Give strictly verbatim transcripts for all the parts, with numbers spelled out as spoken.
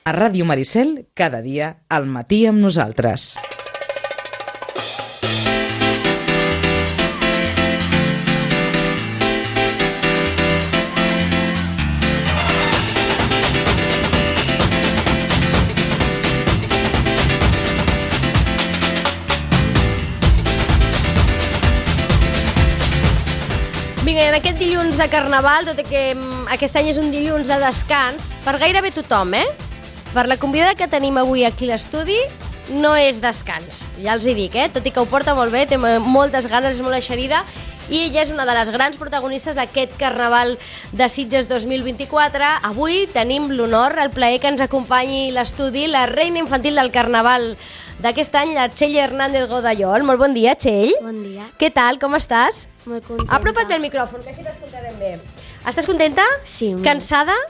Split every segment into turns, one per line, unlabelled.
A Ràdio Maricel, cada dia, al matí amb nosaltres.
Vinga, en aquest dilluns de Carnaval, tot i que aquest any és un dilluns de descans, per gairebé tothom, eh? Per la convidada que tenim avui aquí a l'estudi, no és descans, ja els hi dic, eh? Tot i que ho porta molt bé, té moltes ganes, és molt eixerida, i ella és una de les grans protagonistes d'aquest Carnaval de Sitges dos mil vint-i-quatre. Avui tenim l'honor, el plaer que ens acompanyi a l'estudi la reina infantil del Carnaval d'aquest any, la Txell Hernández Godallol. Molt bon dia, Txell.
Bon dia.
Què tal, com estàs?
Molt contenta.
Apropa't bé el micròfon, que així t'escoltarem bé. Estàs contenta?
Sí. Molt.
Cansada?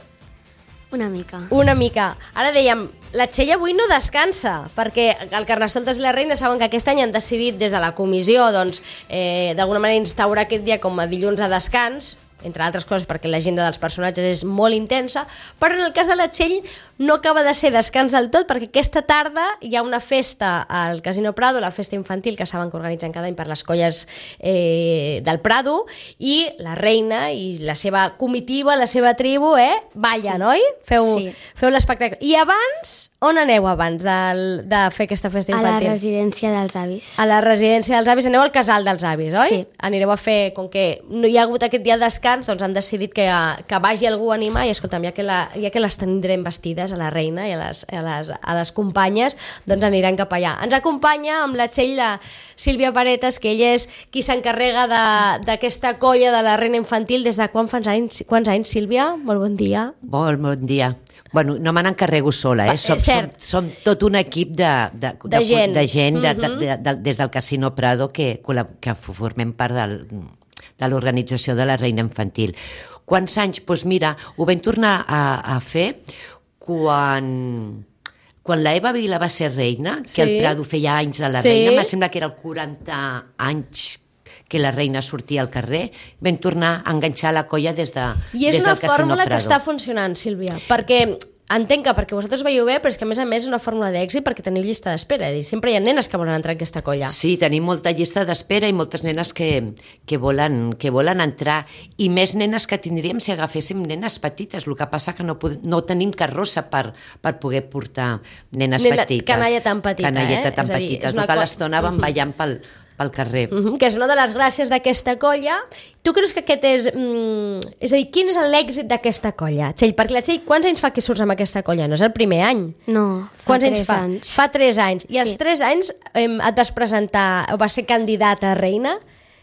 Una mica.
Una mica. Ara dèiem, la Txell avui no descansa, perquè el Carnestoltes i la Reina saben que aquest any han decidit des de la comissió, doncs, eh, d'alguna manera instaurar aquest dia com a dilluns de descans, entre altres coses perquè l'agenda dels personatges és molt intensa, però en el cas de la Txell no acaba de ser descans del tot, perquè aquesta tarda hi ha una festa al Casino Prado, la festa infantil que saben que organitzen cada any per les colles eh, del Prado, i la reina i la seva comitiva, la seva tribu, eh, ballen, sí. Oi? Feu, sí. Feu l'espectacle. I abans, on aneu abans de, de fer aquesta festa infantil?
A la residència dels avis.
A la residència dels avis, aneu al casal dels avis, oi?
Sí.
Anireu a fer, com que no hi ha hagut aquest dia de descans, doncs han decidit que, que vagi algú a animar, i escolta'm, ja que, la, ja que les tindrem vestides, a la reina i a les, a les, a les companyes, doncs aniran cap allà. Ens acompanya amb la Txell la Sílvia Paretas, que ella és qui s'encarrega d'aquesta colla de la reina infantil. Des de quan fa anys, quants anys, Sílvia? Molt bon dia.
Molt bon dia. Bueno, no me n'encarrego sola, eh? Som, som, som tot un equip de, de, de,
de gent,
de gent de,
mm-hmm.
de, de, de, des del Casino Prado que, que formem part del, de l'organització de la reina infantil. Quants anys? Doncs mira, ho vam tornar a, a fer quan, quan la Eva Vila va ser reina, que sí. El Prado feia anys de la sí. reina, em sembla que era el quaranta anys que la reina sortia al carrer, vam tornar a enganxar la colla des, de,
I és
des del Casino Prado. I és una
fórmula que està funcionant, Sílvia, perquè entenc que perquè vosaltres veieu bé, però és que a més a més és una fórmula d'èxit perquè teniu llista d'espera, és a dir, sempre hi ha nenes que volen entrar en aquesta colla.
Sí, tenim molta llista d'espera i moltes nenes que, que, volen, que volen entrar, i més nenes que tindríem si agaféssim nenes petites. El que passa que no, no tenim carrossa per, per poder portar nenes
Nena,
petites.
Canalla tan petita,
Canalleta
eh?
tan dir, petita. Tota l'estona van uh-huh. ballant pel, pel carrer.
Uh-huh, que és una de les gràcies d'aquesta colla. Tu creus que aquest és... Mm, és a dir, quin és l'èxit d'aquesta colla? Txell, perquè la Txell, quants anys fa que surts amb aquesta colla? No és el primer any?
No, fa
quants
tres
anys fa?
anys.
Fa tres anys. I
sí.
als tres anys eh, et vas presentar, o vas ser candidata a reina?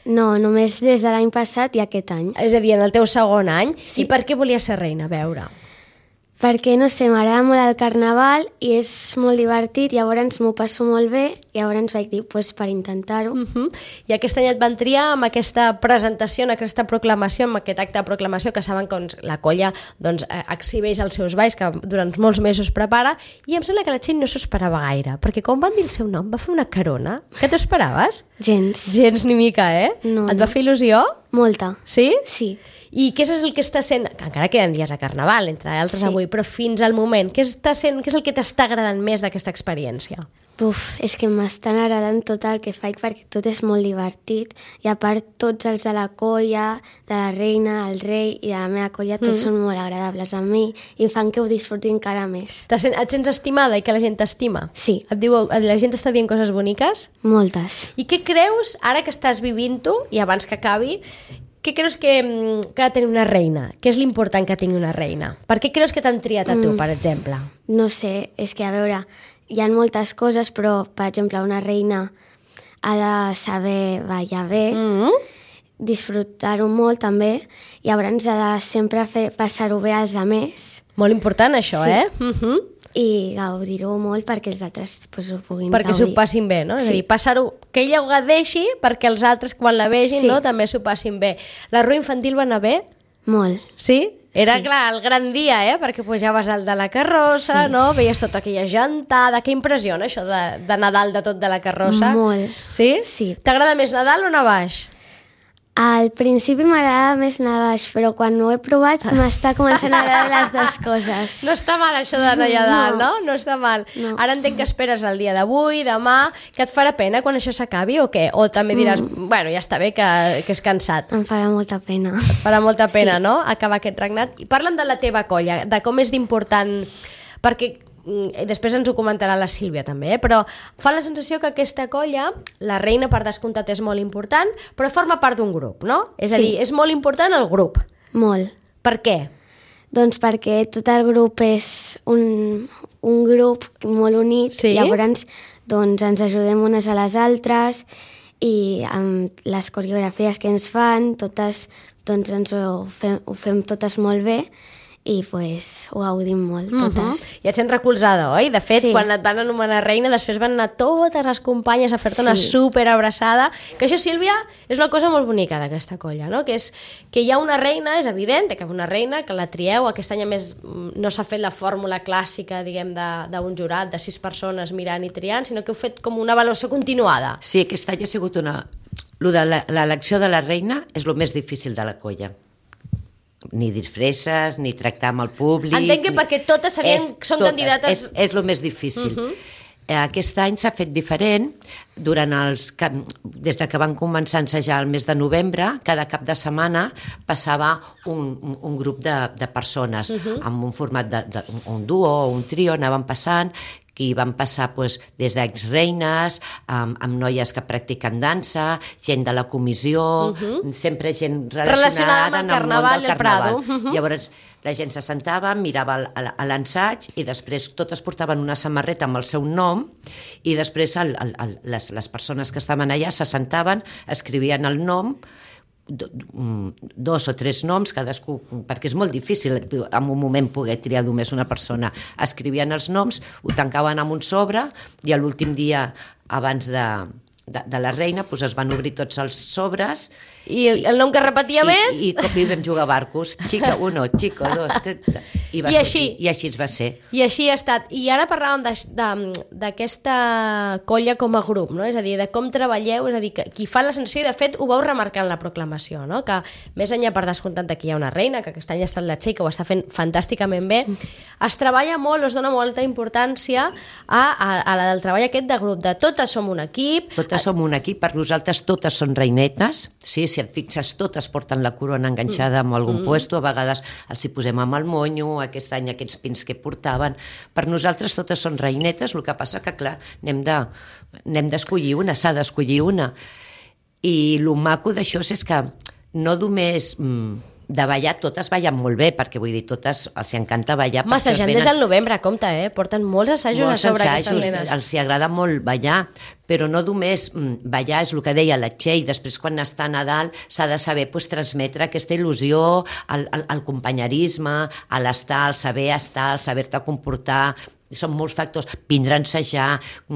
No, només des de l'any passat i aquest any.
És a dir, en el teu segon any.
Sí.
I per què volies ser reina? A veure...
Perquè, no sé, m'agrada molt el carnaval i és molt divertit, llavors m'ho passo molt bé, i llavors vaig dir, pues, per intentar-ho.
Uh-huh. I aquest any et van triar amb aquesta presentació, amb aquesta proclamació, amb aquest acte de proclamació que saben que la colla doncs, exhibeix els seus balls, que durant molts mesos prepara, i em sembla que la Txell no s'ho esperava gaire, perquè quan van dir el seu nom va fer una carona. Què t'ho esperaves?
Gens.
Gens ni mica, eh?
No,
et
no.
va fer il·lusió?
Molta.
Sí?
Sí.
I què és el que està sent, que encara queden dies a Carnaval, entre altres sí. avui, però fins al moment, què, està sent, què és el que t'està agradant més d'aquesta experiència?
Uf, és que m'estan agradant tot el que faig perquè tot és molt divertit, i a part tots els de la colla, de la reina, el rei i de la meva colla, tots mm. són molt agradables a mi i em fan que ho disfruti encara més.
Sent, et sents estimada i que la gent t'estima?
Sí.
Et diu, la gent t'està dient coses boniques?
Moltes.
I què creus, ara que estàs vivint-ho, i abans que acabi, què creus que, que ha de tenir una reina? Què és l'important que tingui una reina? Per què creus que t'han triat a tu, mm. per exemple?
No sé, és que a veure, hi ha moltes coses, però, per exemple, una reina ha de saber ballar bé, mm. disfrutar-ho molt també, i llavors ha de sempre fer passar-ho bé als altres.
Molt important això,
sí.
eh? Uh-huh.
I gaudir-ho molt perquè els altres pues, ho puguin
perquè
gaudir.
Perquè s'ho passin bé, no?
Sí.
És a dir, passar-ho, que ella ho gaudeixi perquè els altres quan la vegin, sí. no? també s'ho passin bé. La rua infantil va anar bé?
Molt.
Sí? Era,
sí.
clar, el gran dia, eh? Perquè pujaves al de la carrossa, sí. no? Veies tota aquella gentada. Que impressiona això de, de Nadal de tot de la carrossa.
Molt.
Sí?
Sí.
T'agrada més Nadal o Navaix?
Al principi m'agradava més anar baix, però quan ho he provat m'està començant a agradar les dues coses.
No està mal això d'anar allà dalt, no? No està mal.
No.
Ara entenc que esperes el dia d'avui, demà, que et farà pena quan això s'acabi o què? O també diràs, mm. bueno, ja està bé que, que és cansat.
Em farà molta pena.
Et farà molta pena,
Sí.
no?, acabar aquest regnat. I parla'm de la teva colla, de com és d'important, perquè mm, després ens ho comentarà la Sílvia també, eh? Però fa la sensació que aquesta colla, la reina per descomptat és molt important, però forma part d'un grup, no? És a
Sí.
dir, és molt important el grup.
Molt.
Per què?
Doncs perquè tot el grup és un, un grup molt unit,
Sí?
llavors doncs, ens ajudem unes a les altres i amb les coreografies que ens fan, totes doncs, ens ho fem, ho fem totes molt bé i pues, ho gaudim molt, totes.
Uh -huh. I et sents recolzada, oi? De fet,
Sí.
quan et van anomenar reina, després van anar totes les companyes a fer-te una
Sí.
superabraçada. Que això, Sílvia, és una cosa molt bonica d'aquesta colla, no? Que és que hi ha una reina, és evident, que hi ha una reina, que la trieu. Aquest any, a més, no s'ha fet la fórmula clàssica, diguem, de- d'un jurat de sis persones mirant i triant, sinó que heu fet com una avaluació continuada.
Sí, aquest any ha sigut una... Lo de la- l'elecció de la reina és el més difícil de la colla. Ni disfresses, ni tractar amb el públic...
Entenc que
ni-
perquè totes serien-
És-
són
totes,
candidates-
És, és el més difícil. Uh -huh. Aquest any s'ha fet diferent. Durant els, des de que van començar a ensejar el mes de novembre, cada cap de setmana passava un, un, un grup de, de persones, uh -huh. amb un format de, de un duo o un trio, anaven passant, i van passar doncs, des d'exreines, amb, amb noies que practiquen dansa, gent de la comissió, uh -huh. sempre gent relacionada,
Relacionada amb el
en el
carnaval
món del
del Prado.
carnaval. Uh -huh. Llavors, la gent se sentava, mirava el- el- a l'ensaig i després totes portaven una samarreta amb el seu nom i després el, el, el, les, les persones que estaven allà se sentaven, escrivien el nom, do- mm, dos o tres noms, cadascú, perquè és molt difícil en un moment poder triar només una persona. Escrivien els noms, ho tancaven amb un sobre i a l'últim dia abans de, de, de la reina doncs es van obrir tots els sobres
I el, el nom que repetia
i,
més...
i, i com hi vam jugar a barcos, xica uno, xico dos, t- t- i, va
I
sortir,
així.
i així es va ser.
I així ha estat. I ara parlàvem d'aquesta colla com a grup, no? És a dir, de com treballeu, és a dir, que qui fa la sensació, i de fet ho vau remarcar en la proclamació, no? Que més enllà per descomptat de que hi ha una reina, que aquest any ha estat la Txell, que ho està fent fantàsticament bé, es treballa molt, es dona molta importància a, a, a la del treball aquest de grup, de totes som un equip.
Totes som un equip, per nosaltres totes són reinetes, sí, si et fixes totes porten la corona enganxada amb algun mm. puesto, a vegades els hi posem amb el monyo, aquest any aquests pins que portaven, per nosaltres totes són reinetes, el que passa que clar, n'hem de, n'hem d'escollir una, s'ha d'escollir una, i el maco d'això és que no només mm, de ballar, totes ballen molt bé, perquè vull dir, totes els encanta ballar.
Massejant
venen...
des del novembre, compte, eh? Porten molts assajos
molts
a sobre
ensajos,
aquestes nenes.
els hi agrada molt ballar, però no només mm, ballar, és el que deia la Txell, després quan està a Nadal s'ha de saber pues, transmetre aquesta il·lusió, el, el, el companyerisme, l'estar, el saber estar, el saber-te comportar, són molts factors, vindre a ensejar,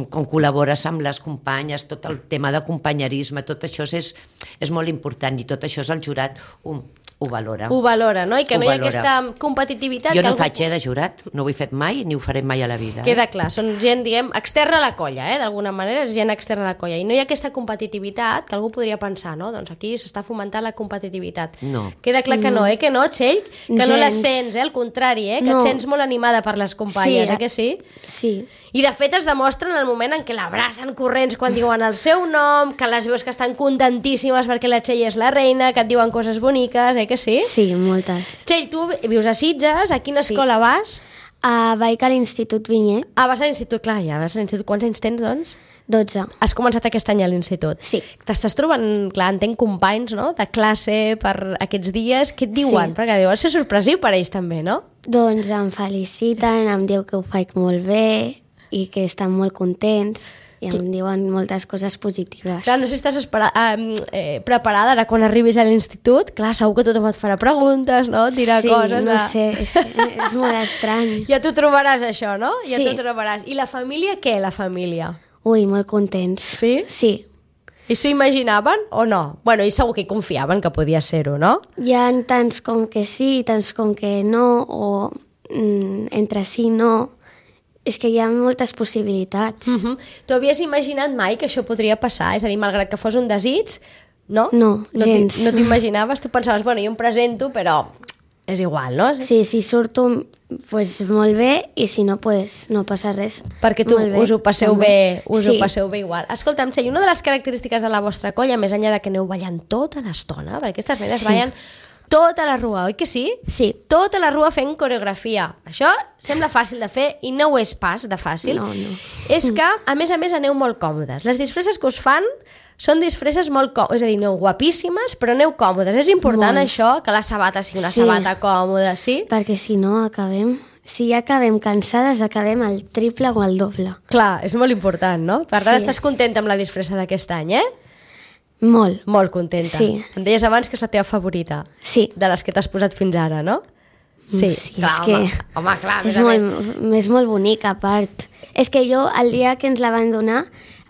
com col·labores amb les companyes, tot el tema de companyerisme, tot això és, és molt important i tot això és el jurat ho, ho valora.
Ho valora, no? I que
Ho
no hi ha
valora.
aquesta competitivitat.
Jo
que
no
algú...
faig eh, de jurat, no ho he fet mai ni ho faré mai a la vida.
Queda
eh?
clar, són gent, diguem, externa a la colla, eh? D'alguna manera és gent externa a la colla. I no hi ha aquesta competitivitat que algú podria pensar, no? Doncs aquí s'està fomentant la competitivitat.
No.
Queda clar que no, eh? Que no, Txell? Que no la
Gens.
sents, eh? Al contrari, eh? Que
No.
et sents molt animada per les companyes,
Sí,
eh? Que sí?
Sí.
I de fet es demostra en el moment en què l'abracen corrents quan diuen el seu nom, que les veus que estan contentíssimes perquè la Txell és la reina, que et diuen coses boniques, eh? Que sí?
Sí, moltes.
Txell, tu vius a Sitges, a quina
Sí.
escola vas?
Uh, vaig a l'Institut Vinyet,
Ah, vas a l'institut, clar, ja vas a l'institut. Quants anys tens, doncs?
dotze.
Has començat aquest any a l'institut.
Sí.
T'estàs trobant, clar, entenc companys, no?, de classe per aquests dies. Què et diuen?
Sí.
Perquè deu ser sorpresiu per ells també, no?
Doncs em feliciten, em diu que ho faig molt bé i que estan molt contents i em diuen moltes coses positives.
Clar, no sé si estàs espera, eh, eh, preparada ara quan arribis a l'institut. Clar, segur que tothom et farà preguntes, no? Et dirà
sí,
coses.
no
de...
sé, és, és molt estrany.
Ja t'ho trobaràs, això, no? Ja
Sí.
t'ho trobaràs. I la família, què, la família?
Ui, molt contents.
Sí?
Sí.
I s'ho imaginaven o no? Bueno, i segur que hi confiaven que podia ser-ho, no?
Hi ha tants com que sí, tants com que no, o mm, entre sí no. És que hi ha moltes possibilitats.
Uh -huh. Tu havies imaginat mai que això podria passar? És a dir, malgrat que fos un desig, No?
No,
no
gens.
No t'imaginaves? Tu pensaves, bueno, jo em presento, però és igual, no?
Sí, si surto, pues, molt bé, i si no, pues, no passa res.
Perquè tu
Molt bé,
us ho passeu
també.
bé, us
sí.
ho passeu bé igual. Escolta'm, Txell, una de les característiques de la vostra colla, més enllà de que aneu ballant tota l'estona, perquè aquestes nenes
Sí.
ballen tota la rua, oi que sí?
Sí.
Tota la rua fent coreografia. Això sembla fàcil de fer i no ho és pas de fàcil.
No, no.
És que, a més a més, aneu molt còmodes. Les disfresses que us fan són disfresses molt còmodes, és a dir, aneu guapíssimes, però aneu còmodes. És important
Molt.
això, que la sabata sigui una
Sí.
sabata còmoda, sí?
Perquè si no acabem... Si ja acabem cansades, acabem el triple o el doble.
Clar, és molt important, no? Per tant,
Sí.
estàs contenta amb la disfressa d'aquest any, eh?
Molt.
Molt contenta.
Sí.
Em deies abans que és la teva favorita,
Sí.
de les que t'has posat fins ara, no? Sí,
sí
clar,
és
home,
que
home, clar, a més
és
a
molt,
més.
és molt bonic, a part. És que jo, el dia que ens la van donar,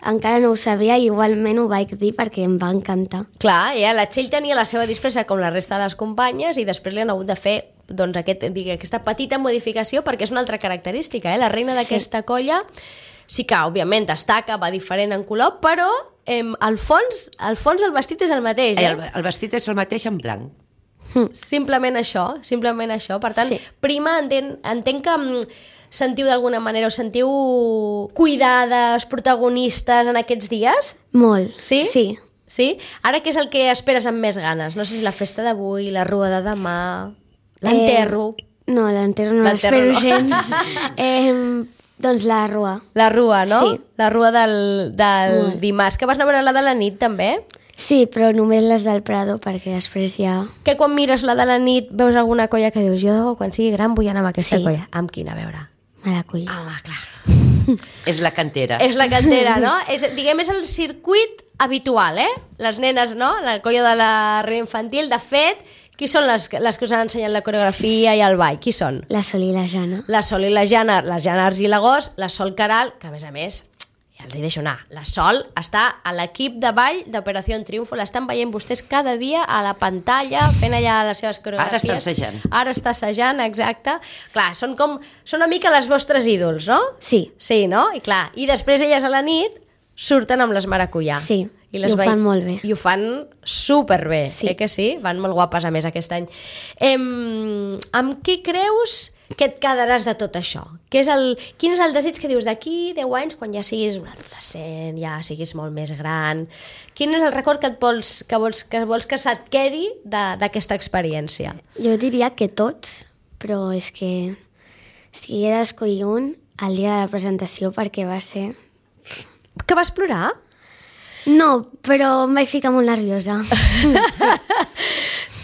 encara no ho sabia i igualment ho vaig dir perquè em va encantar.
Clar, ja, la Txell tenia la seva disfressa com la resta de les companyes i després li han hagut de fer doncs, aquest, digui, aquesta petita modificació perquè és una altra característica. Eh? La reina d'aquesta sí. colla sí que, òbviament, destaca, va diferent en color, però eh, al fons, al fons el vestit és el mateix. Eh?
El, el vestit és el mateix en blanc.
Simplement això, simplement això. Per tant,
Sí.
prima, entenc, entenc que mm, sentiu d'alguna manera, us sentiu cuidades, protagonistes en aquests dies?
Molt.
Sí?
Sí.
Sí? Ara què és el que esperes amb més ganes? No sé si la festa d'avui, la rua de demà, l'enterro...
Eh, no, l'enterro no
L'enterro
l'espero
no.
gens. eh, doncs la rua.
La rua, no?
Sí.
La rua del, del
Molt.
dimarts. Que vas anar a veure la de la nit, també?
Sí, però només les del Prado, perquè després ja...
Que quan mires la de la nit veus alguna colla que dius jo, quan sigui gran, vull anar amb aquesta
Sí.
colla. Amb quina, a veure?
Maracull.
Home, clar.
És la cantera.
És la cantera, no? És, diguem, és el circuit habitual, eh? Les nenes, no? La colla de la reina infantil. De fet, qui són les, les que us han ensenyat la coreografia i el ball? Qui són?
La Sol i la Jana.
La Sol i la Jana, la Jana Argilagós, la Sol Caral, que a més a més, ja els hi deixo anar, la Sol està a l'equip de ball d'Operació Triunfo, l'estan veient vostès cada dia a la pantalla, fent allà les seves coreografies.
Ara està assajant.
Ara està assajant, exacte. Clar, són com, són una mica les vostres ídols, no?
Sí.
Sí, no? I clar, i després elles a la nit surten amb les maracuyà.
Sí,
I, les
i ho
vei-
fan molt bé.
I ho fan superbé,
Sí.
eh que sí? Van molt guapes a més aquest any. Em, amb què creus que et quedaràs de tot això? Que és el, quin és el desig que dius d'aquí deu anys, quan ja siguis un adolescent, ja siguis molt més gran? Quin és el record que et vols que, vols, que, vols que se't quedi de- d'aquesta experiència?
Jo diria que tots, però és que si he d'escollir un, el dia de la presentació, perquè va ser...
Que vas plorar?
No, però em vaig ficar molt nerviosa.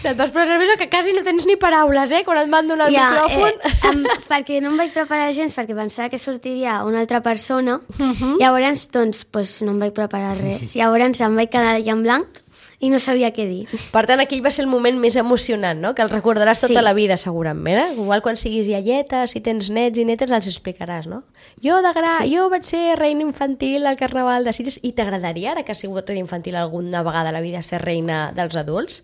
Et vas posar nerviosa que quasi no tens ni paraules, eh? Quan et van donar el
Ja,
micròfon.
eh, em, perquè no em vaig preparar gens, perquè pensava que sortiria una altra persona. Llavors, doncs, pues, no em vaig preparar res. Llavors em vaig quedar allà en blanc i no sabia què dir.
Per tant, aquell va ser el moment més emocionant, no? Que el recordaràs tota
Sí.
la vida, segurament. Eh? Igual quan siguis iaieta, si tens nets i netes, els explicaràs, no? Jo, de gra... sí. jo vaig ser reina infantil al Carnaval de Sitges i t'agradaria, ara que has sigut reina infantil alguna vegada a la vida, ser reina dels adults?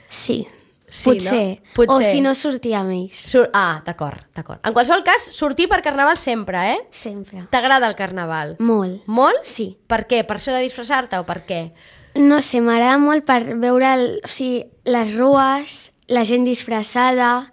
Sí,
Sí,
potser.
no? Potser.
O si no, sortir amb ells.
Sur... Ah, d'acord, d'acord. En qualsevol cas, sortir per Carnaval sempre, eh?
Sempre.
T'agrada el Carnaval?
Molt.
Molt?
Sí.
Per què? Per això de disfressar-te o per què?
No sé, m'agrada molt per veure el, o sigui, les rues, la gent disfressada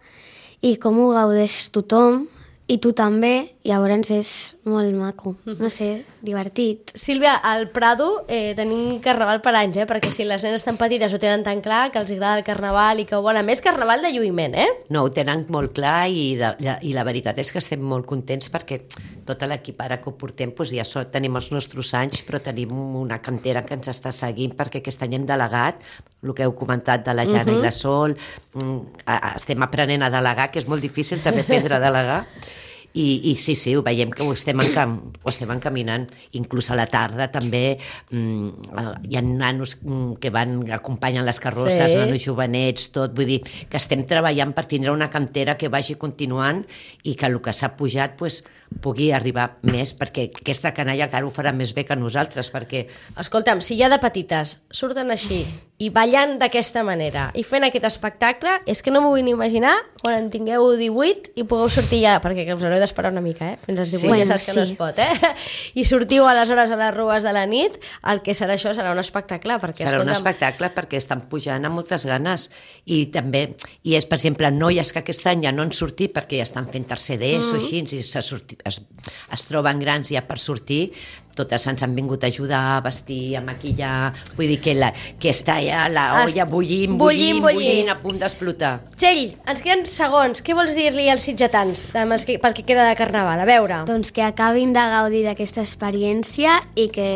i com ho gaudeix tothom, i tu també, llavors és molt maco, no sé, divertit.
Sílvia, al Prado eh, tenim Carnaval per anys, eh? Perquè si les nenes tan petites ho tenen tan clar, que els agrada el Carnaval i que ho volen. A més, Carnaval de lluïment, eh?
No, ho tenen molt clar i, de, i la veritat és que estem molt contents perquè tot l'equip ara que ho portem doncs ja so, tenim els nostres anys, però tenim una cantera que ens està seguint perquè aquest any hem delegat el que heu comentat de la Jana uh -huh. i la Sol. Mm, estem aprenent a delegar, que és molt difícil també aprendre a delegar. I, i sí, sí, ho veiem que ho estem, encam, ho estem encaminant. Inclús a la tarda també mm, hi ha nanos que van acompanyen les carrosses,
Sí.
nanos jovenets, tot. Vull dir que estem treballant per tindre una cantera que vagi continuant i que el que s'ha pujat pues, pugui arribar més, perquè aquesta canalla encara ho farà més bé que nosaltres, perquè...
Escolta'm, si ja de petites surten així i ballant d'aquesta manera i fent aquest espectacle, és que no m'ho vull ni imaginar quan en tingueu divuit i pugueu sortir ja, perquè us haureu d'esperar una mica, eh? Fins als divuit sí, ja saps sí. que no es pot, eh? I sortiu aleshores a les rues de la nit, el que serà això serà un espectacle. Perquè,
serà
escolta'm...
un espectacle perquè estan pujant amb moltes ganes i també, i és per exemple noies que aquest any ja no han sortit perquè ja estan fent tercer d'ESO, mm. així, i se sorti, es, es troben grans ja per sortir, totes ens han vingut a ajudar a vestir, a maquillar, vull dir que, la, que està ja la olla bullint, bullint, bullint, bullint, a punt d'explotar.
Txell, ens queden segons, què vols dir-li als sitgetans que, pel que queda de Carnaval? A veure.
Doncs que acabin de gaudir d'aquesta experiència i que,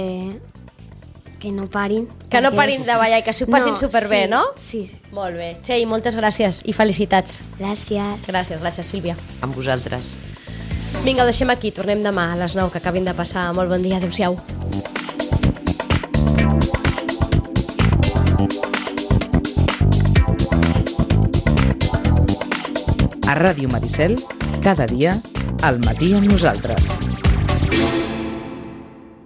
que no parin.
Que no parin és... de ballar i que s'ho passin no, superbé,
sí,
no?
Sí.
Molt bé. Txell, moltes gràcies i felicitats.
Gràcies.
Gràcies, gràcies, Sílvia.
Amb vosaltres.
Vinga, ho deixem aquí, tornem demà a les nou, que acabin de passar. Molt bon dia, adéu-siau.
A Ràdio Maricel, cada dia, al matí amb nosaltres.